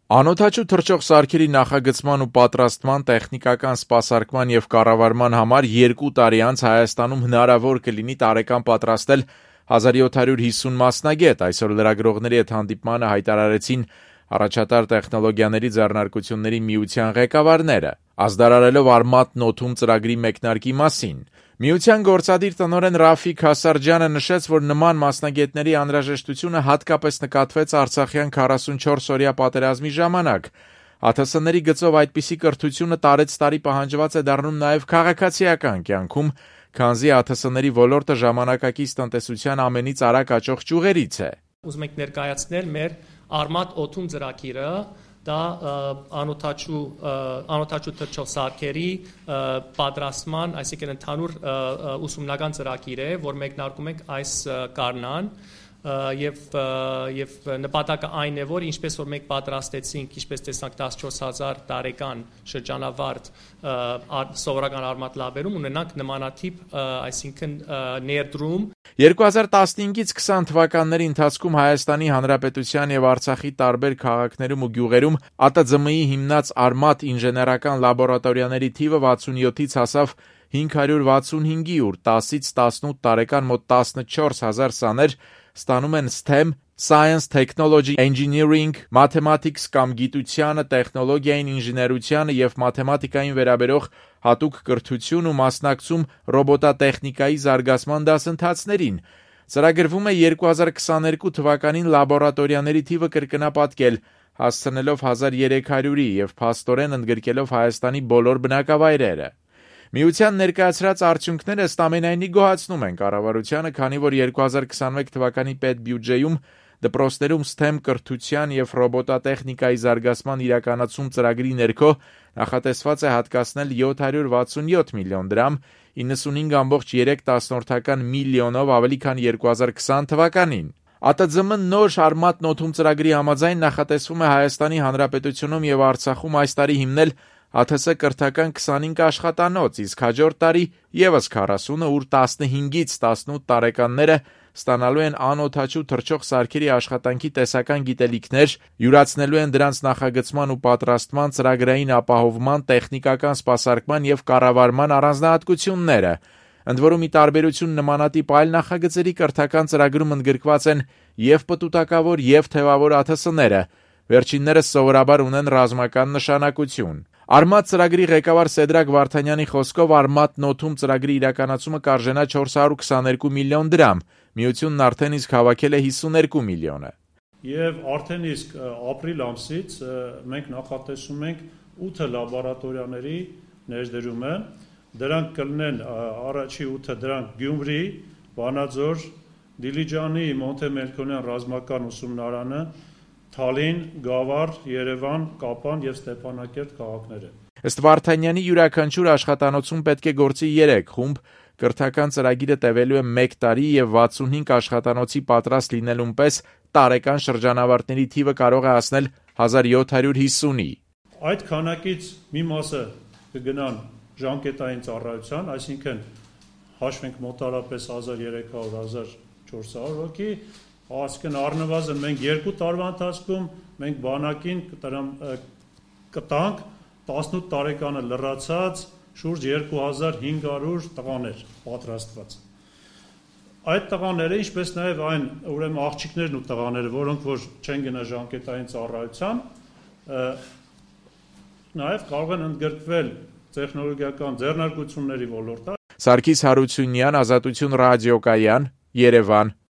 Անօդաչու թռչող սարքերի նախագծման ու պատրաստման, տեխնիկական սպասարկման և կառավարման համար 2 տարի անց Հայաստանում հնարավոր կլինի տարեկան պատրաստել 1750 մասնագետ, այսօր լրագրողների հետ հանդիպմանը հայտարարեցին առաջատար տեխնոլոգիաների ձեռնարկությունների միության ղեկավարները, ազդարարելով «Արմաթ նոթում» ծրագրի մեկնարկի մասին։ Միության գործադիր տնօրեն Ռաֆիկ Հասարջյանը նշեց, որ նման մասնագետների անհրաժեշտությունը հատկապես նկատվեց արցախյան 44-օրյա պատերազմի ժամանակ։ ԱԹՍ-ների գծով այդպիսի կրթությունը տարեցտարի պահանջված է դառնում նաև քաղաքացիական կյանքում, քանզի ԱԹՍ-ների ոլորտը ժամանակակից տնտեսության ամենից արագ աճող ճյուղերից է։ Ուզում ենք ներկայացնել մեր «Արմաթ օթում» ծրագիրը, դա անօդաչու թռչող սարքերի պատրաստման, այսինքն ընդհանուր ուսումնական ծրագիր է, որ մեկնարկում ենք այս գարնան եւ նպատակը այն է, որ ինչպես որ մենք պատրաստեցինք, ինչպես տեսանք 14000 տարեկան շրջանավարտ սովորական արմատ լաբերում ունենանք նմանատիպ, այսինքն ներդրում 2015-ից 20 թվականների ընթացքում Հայաստանի Հանրապետության եւ Արցախի տարբեր քաղաքներում ու գյուղերում ԱՏԶՄ-ի հիմնած արմատ ինժեներական լաբորատորիաների թիվը 67-ից հասավ 565-ի, ուր 10-ից 18 տարեկան մոտ 14000 սաներ ստանում են STEM, Science, Technology, Engineering, Mathematics կամ գիտությանը, տեխնոլոգիային, ինժեներությանը եւ մաթեմատիկային վերաբերող հատուկ կրթություն ու մասնակցում ռոբոտատեխնիկայի զարգացման դասընթացներին։ Ծրագրվում է 2022 թվականին լաբորատորիաների թիվը կրկնապատկել, հասցնելով 1300-ի եւ փաստորեն ընդգրկելով Հայաստանի բոլոր բնակավայրերը։ Միության ներկայացրած արդյունքները ըստ ամենայնի գոհացնում են կառավարությանը, քանի որ 2021 թվականի պետբյուջեում դպրոցներում STEM կրթության եւ ռոբոտատեխնիկայի զարգացման իրականացում ծրագրի ներքո նախատեսված է հատկացնել 767 միլիոն դրամ, 95.3 միլիոնով ավելի քան 2020 թվականին։ ԱՏԶՄ նոր «Արմաթ նոթում» ծրագրի համաձայն նախատեսվում է Հայաստանի Հանրապետությունում եւ Արցախում այս տարի հիմնել ԱԹՍ կրթական 25 աշխատանոց, իսկ հաջորդ տարի եւս 40-ը, ուր 15-ից 18 տարեկանները ստանալու են անօդաչու թռչող սարքերի աշխատանքի տեսական գիտելիքներ, յուրացնելու են դրանց նախագծման ու պատրաստման, ծրագրային ապահովման, տեխնիկական սպասարկման եւ կառավարման առանձնահատկությունները։ Ընդ որում, ի տարբերություն նմանատիպ այլ նախագծերի, կրթական ծրագրում ընդգրկված են եւ պտուտակավոր եւ թևավոր ԱԹՍ-ները։ Վերջիններս սովորաբար ունեն ռազմական նշանակություն։ Արմաթ ծրագրի ղեկավար Սեդրակ Վարդանյանի խոսքով «Արմաթ նոթում» ծրագրի իրականացումը կարժենա 422 միլիոն դրամ, միությունն արդեն իսկ հավաքել է 52 միլիոնը։ Եվ արդեն իսկ ապրիլ ամսից մենք նախատեսում ենք 8 լաբորատորիաների ներդրումը, դրանք կլինեն առաջի 8-ը դրանք Գյումրի, Վանաձոր, Դիլիջանի Մոնթե Մելքոնյան ռազմական ուսումնարանը, Թալին, Գավառ, Երևան, Կապան եւ Ստեփանակերտ քաղաքները։ Ըստ Վարդանյանի յուրաքանչյուր աշխատանոցում պետք է գործի 3 խումբ, կրթական ծրագիրը տևելու է 1 տարի եւ 65 աշխատանոցի պատրաստ լինելուն պես տարեկան շրջանավարտների թիվը կարող է հասնել 1750-ի։ Այդ քանակից մի մասը կգնան ժամկետային ծառայության, այսինքն հաշվենք մոտարապես 1300-1400 հոգի, այսինքն առնվազն մենք 2 տարվա ընթացքում մենք բանակին կտանք 18 տարեկանը լրացած շուրջ 2500 տղաներ պատրաստված։ Այդ տղաները, ինչպես նաև այն ուրեմն աղջիկներն ու տղաները, որոնք որ չեն գնա ժամկետային ծառայության, նաև կարող են ընդգրկվել տեխնոլոգիական ձեռնարկությունների ոլորտը։ Սարգիս Հարությունյան, Ազատություն ռադիոկայան, Երևան։